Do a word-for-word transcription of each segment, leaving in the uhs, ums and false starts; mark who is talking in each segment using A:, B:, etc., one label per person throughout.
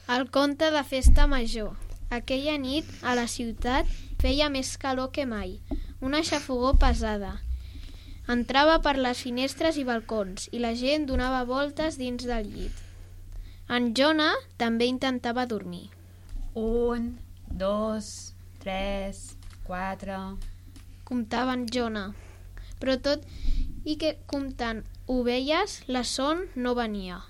A: El conte de festa major. Aquella nit, a la ciutat, feia més calor que mai. Una xafogor pesada. Entrava per les finestres i balcons i la gent donava voltes dins del llit. En Jonah també intentava dormir.
B: Un, dos, tres, quatre...
A: Comptava en Jonah. Però tot i que comptant ovelles, la son no venia.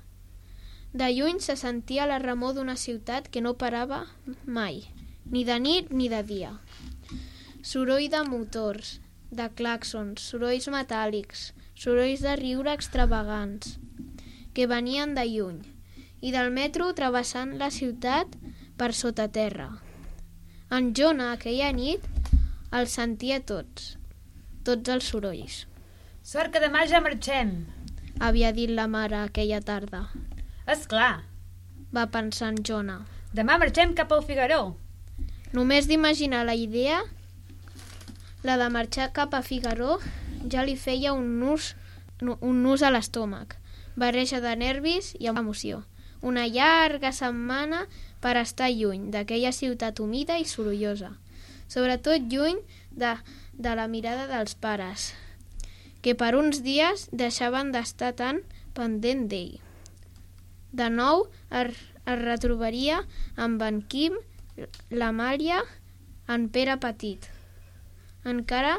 A: De lluny se sentia la remor d'una ciutat que no parava mai, ni de nit ni de dia. Soroll de motors, de clàxons, sorolls metàl·lics, sorolls de riure extravagants, que venien de lluny, i del metro travessant la ciutat per sota terra. En Jonah aquella nit els sentia tots, tots els sorolls.
B: Sort que demà ja marxem,
A: havia dit la mare aquella tarda.
B: És clar,
A: va pensar en Jonah.
B: Demà marxem cap al Figaró.
A: Només d'imaginar la idea, la de marxar cap a Figaró, ja li feia un nus, un nus a l'estómac, barreja de nervis i emoció. Una llarga setmana per estar lluny d'aquella ciutat humida i sorollosa, sobretot lluny de, de la mirada dels pares, que per uns dies deixaven d'estar tan pendent d'ell. De nou es, es retrobaria amb en Quim, l'Amàlia, en Pere petit. Encara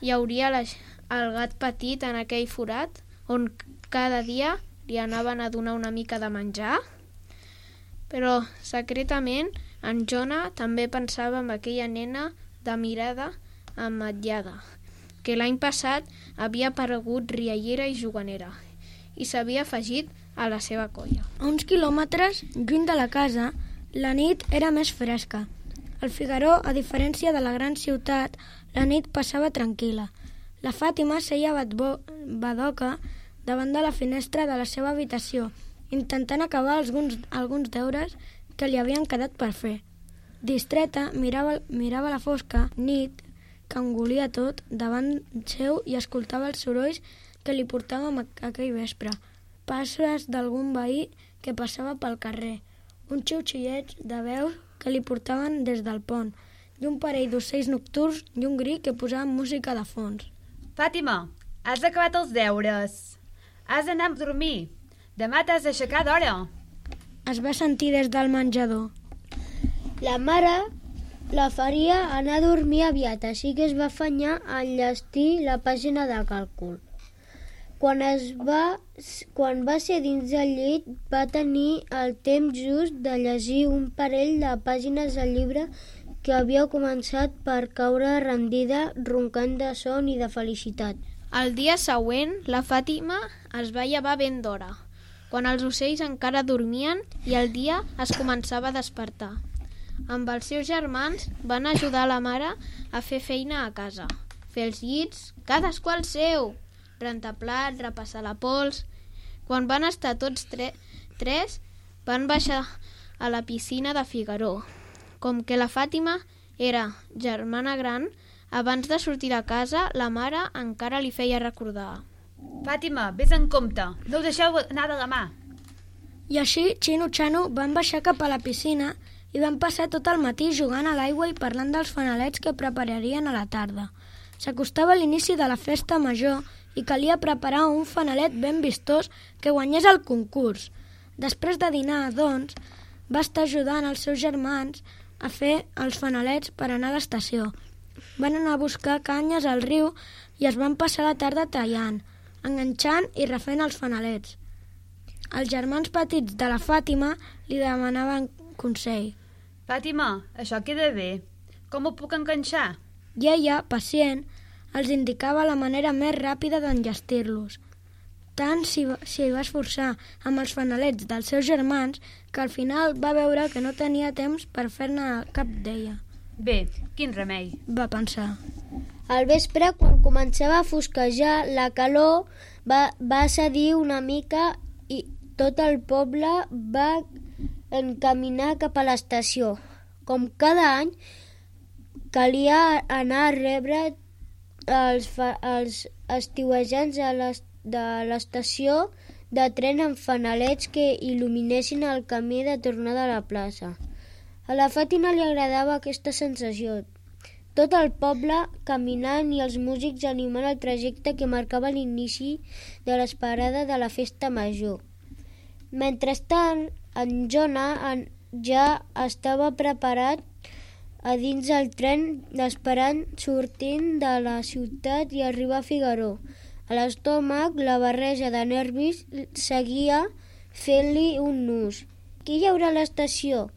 A: hi hauria la, el gat petit en aquell forat on cada dia li anaven a donar una mica de menjar. Però secretament en Jonah també pensava en aquella nena de mirada ametllada, que l'any passat havia aparegut riallera i juganera i s'havia afegit a la seva colla.
C: A uns quilòmetres, lluny de la casa, la nit era més fresca. Al Figaró, a diferència de la gran ciutat, la nit passava tranquil·la. La Fàtima seia badoca davant de la finestra de la seva habitació, intentant acabar alguns, alguns deures que li havien quedat per fer. Distreta, mirava, mirava la fosca nit que engolia tot davant seu i escoltava els sorolls que li portàvem aquell vespre. Passes d'algun veí que passava pel carrer, un xiu-xiueig de veus que li portaven des del pont, i un parell d'ocells nocturns i un gri que posaven música de fons.
B: Fàtima, has acabat els deures. Has d'anar a dormir. Demà t'has d'aixecar d'hora.
C: Es va sentir des del menjador.
D: La mare la faria anar a dormir aviat, així que es va afanyar a enllestir la pàgina de càlcul. Quan, es va, quan va ser dins del llit, va tenir el temps just de llegir un parell de pàgines del llibre que havia començat per caure rendida, roncant de son i de felicitat.
A: El dia següent, la Fàtima es va llevar ben d'hora, quan els ocells encara dormien i el dia es començava a despertar. Amb els seus germans van ajudar la mare a fer feina a casa, fer els llits, cadascú el seu, rentar plats, repassar la pols. Quan van estar tots tre- tres, van baixar a la piscina de Figaró. Com que la Fàtima era germana gran, abans de sortir de casa, la mare encara li feia recordar.
B: Fàtima, vés en compte, no ho deixeu anar de la mà.
C: I així, Xino i Xano van baixar cap a la piscina i van passar tot el matí jugant a l'aigua i parlant dels fanalets que prepararien a la tarda. S'acostava l'inici de la festa major i calia preparar un fanalet ben vistós que guanyés el concurs. Després de dinar, doncs, va estar ajudant els seus germans a fer els fanalets per anar a l'estació. Van anar a buscar canyes al riu i es van passar la tarda tallant, enganxant i refent els fanalets. Els germans petits de la Fàtima li demanaven consell.
B: Fàtima, això queda bé. Com ho puc enganxar?
C: I ella, pacient, els indicava la manera més ràpida d'enllestir-los. Tant s'hi va, s'hi va esforçar amb els fanalets dels seus germans que al final va veure que no tenia temps per fer-ne cap d'ella.
B: Bé, quin remei,
C: va pensar.
D: Al vespre, quan començava a fosquejar, la calor va, va cedir una mica i tot el poble va encaminar cap a l'estació. Com cada any, calia anar a rebre els, fa, els estiuejants a les, de l'estació de tren amb fanalets que il·luminessin el camí de tornada a la plaça. A la Fàtima li agradava aquesta sensació. Tot el poble caminant i els músics animant el trajecte que marcava l'inici de l'esperada de la festa major. Mentrestant, en Jonah ja estava preparat a dins del tren esperant sortint de la ciutat i arribar a Figaró. A l'estómac, la barreja de nervis seguia fent-li un nus. Qui hi haurà a l'estació?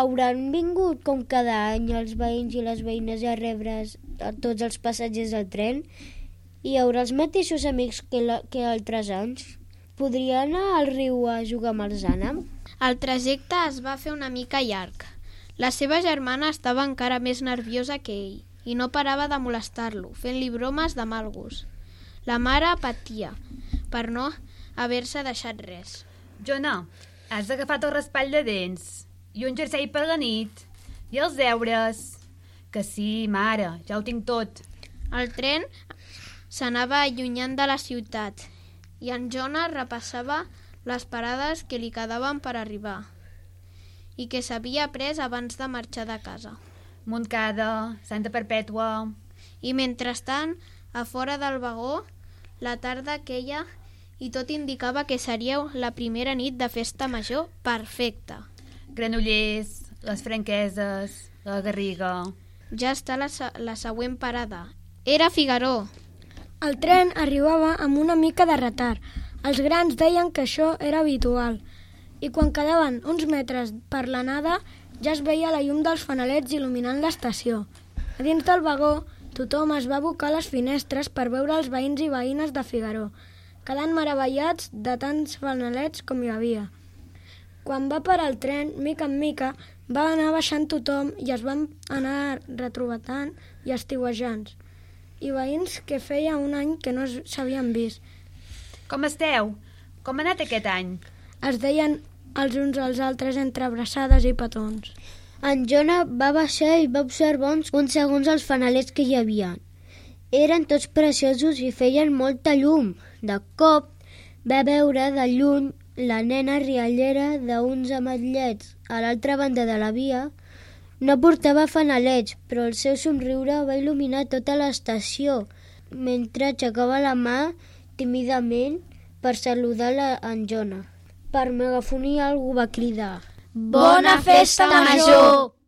D: Hauran vingut com cada any els veïns i les veïnes a rebre a tots els passatgers del tren? Hi haurà els mateixos amics que, la, que altres anys? Podria anar al riu a jugar amb els ànems?
A: El trajecte es va fer una mica llarg. La seva germana estava encara més nerviosa que ell i no parava de molestar-lo, fent-li bromes de mal gust. La mare patia per no haver-se deixat res.
B: Jonah, has agafat el raspall de dents i un jersei per la nit i els deures. Que sí, mare, ja ho tinc tot.
A: El tren s'anava allunyant de la ciutat i en Jonah repassava les parades que li quedaven per arribar i que s'havia pres abans de marxar de casa.
B: Montcada, Santa Perpètua...
A: I mentrestant, a fora del vagó, la tarda queia i tot indicava que seria la primera nit de festa major perfecta.
B: Granollers, les Franqueses, la Garriga...
A: Ja està la, la següent parada. Era Figaró.
C: El tren arribava amb una mica de retard. Els grans deien que això era habitual. I quan quedaven uns metres per l'anada ja es veia la llum dels fanalets il·luminant l'estació. A dins del vagó tothom es va abocar a les finestres per veure els veïns i veïnes de Figaró, quedant meravellats de tants fanalets com hi havia. Quan va parar el tren, mica en mica, va anar baixant tothom i es van anar retrobatant i estiuejant. I veïns que feia un any que no s'havien vist.
B: Com esteu? Com ha anat aquest any?
C: Es deien els uns als altres entre abraçades i petons.
D: En Jonah va baixar i va observar uns, uns segons els fanalets que hi havia. Eren tots preciosos i feien molta llum. De cop va veure de lluny la nena riallera d'uns ametllets a l'altra banda de la via. No portava fanalets, però el seu somriure va il·luminar tota l'estació, mentre aixecava la mà tímidament per saludar en Jonah. Per megafonia algú va cridar:
A: Bona festa major!